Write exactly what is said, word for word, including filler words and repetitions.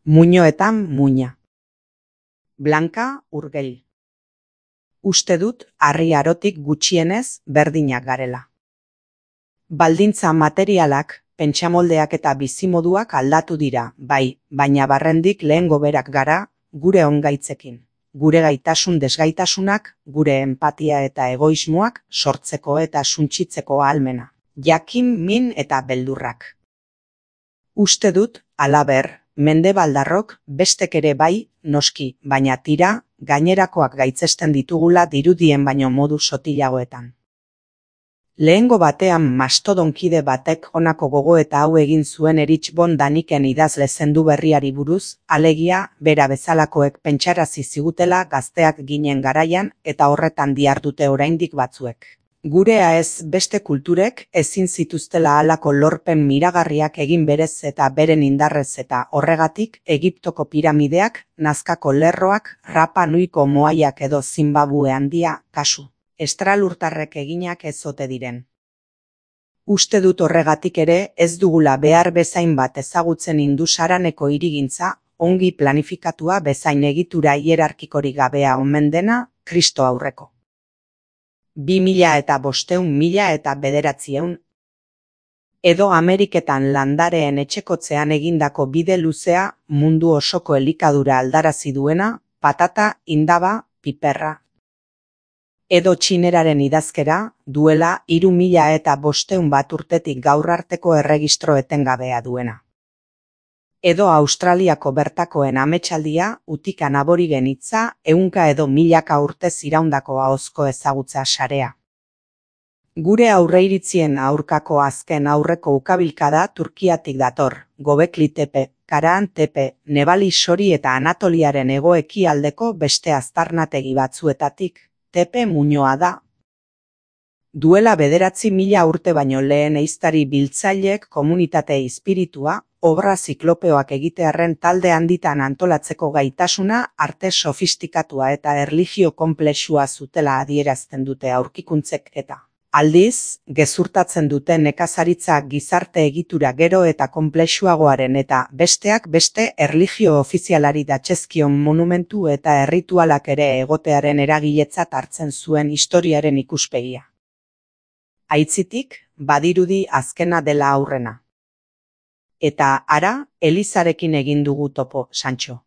Muinoetan muina. Blanka Urgell. Uste dut harri arotik gutxienez berdinak garela. Baldintza materialak, pentsamoldeak eta bizimoduak aldatu dira, bai, baina barrendik lehengo berak gara, gure ongaitzekin. Gure gaitasun desgaitasunak, gure empatia eta egoismoak sortzeko eta suntsitzeko ahalmena. Jakin, min eta beldurrak. Uste dut, halaber, mendebaldarrok bestek ere bai, noski, baina tira, gainerakoak gaitzesten ditugula dirudien baino modu sotilagoetan. Lehengo batean mastodonkide batek honako gogoeta hau egin zuen Erich von Daniken idazle zendu berriari buruz, alegia, bera bezalakoek pentsarazi zigutela gazteak ginen garaian eta horretan dihardute oraindik batzuek. Gurea ez beste kulturek ezin zituztela halako lorpen miragarriak egin berez eta beren indarrez eta horregatik Egiptoko piramideak, Nazkako lerroak, Rapa Nuiko moaiak edo Zimbabue handia, kasu. Estralurtarrek eginak ez ote diren. Uste dut horregatik ere ez dugula behar bezain bat ezagutzen Indusaraneko hirigintza, ongi planifikatua bezain egitura hierarkikorik gabea omen dena, Kristo aurreko. Bi mila eta bosteun mila eta bederatzieun. Edo Ameriketan landareen etxekotzean egindako bide luzea mundu osoko elikadura aldarazi duena, patata, indaba, piperra. Edo txineraren idazkera, duela hiru mila eta bosteun bat urtetik gaur arteko erregistro etengabea duena. Edo Australiako bertakoen ametsaldia, utikan aborigen hitza, ehunka edo milaka urtez iraundako ahozko ezagutza sarea. Gure aurreiritzien aurkako azken aurreko ukabilkada Turkiatik dator, Gobekli Tepe, Karahan Tepe, Nebali Sori eta Anatoliaren hego-ekialdeko beste aztarnategi batzuetatik, Tepe muinoa da. Duela bederatzi mila urte baino lehen ehiztari biltzaileek komunitate espiritua, obra ziklopeoak egitearren talde handitan antolatzeko gaitasuna, arte sofistikatua eta erlijio konplexua zutela adierazten dute aurkikuntzek eta. Aldiz, gezurtatzen dute nekazaritza gizarte egitura gero eta konplexuagoaren eta besteak beste erlijio ofizialari datzezkion monumentu eta erritualak ere egotearen eragiletzat hartzen zuen historiaren ikuspegia. Aitzitik, badirudi azkena dela aurrena. Eta ara, Elizarekin egin dugu topo, Santxo.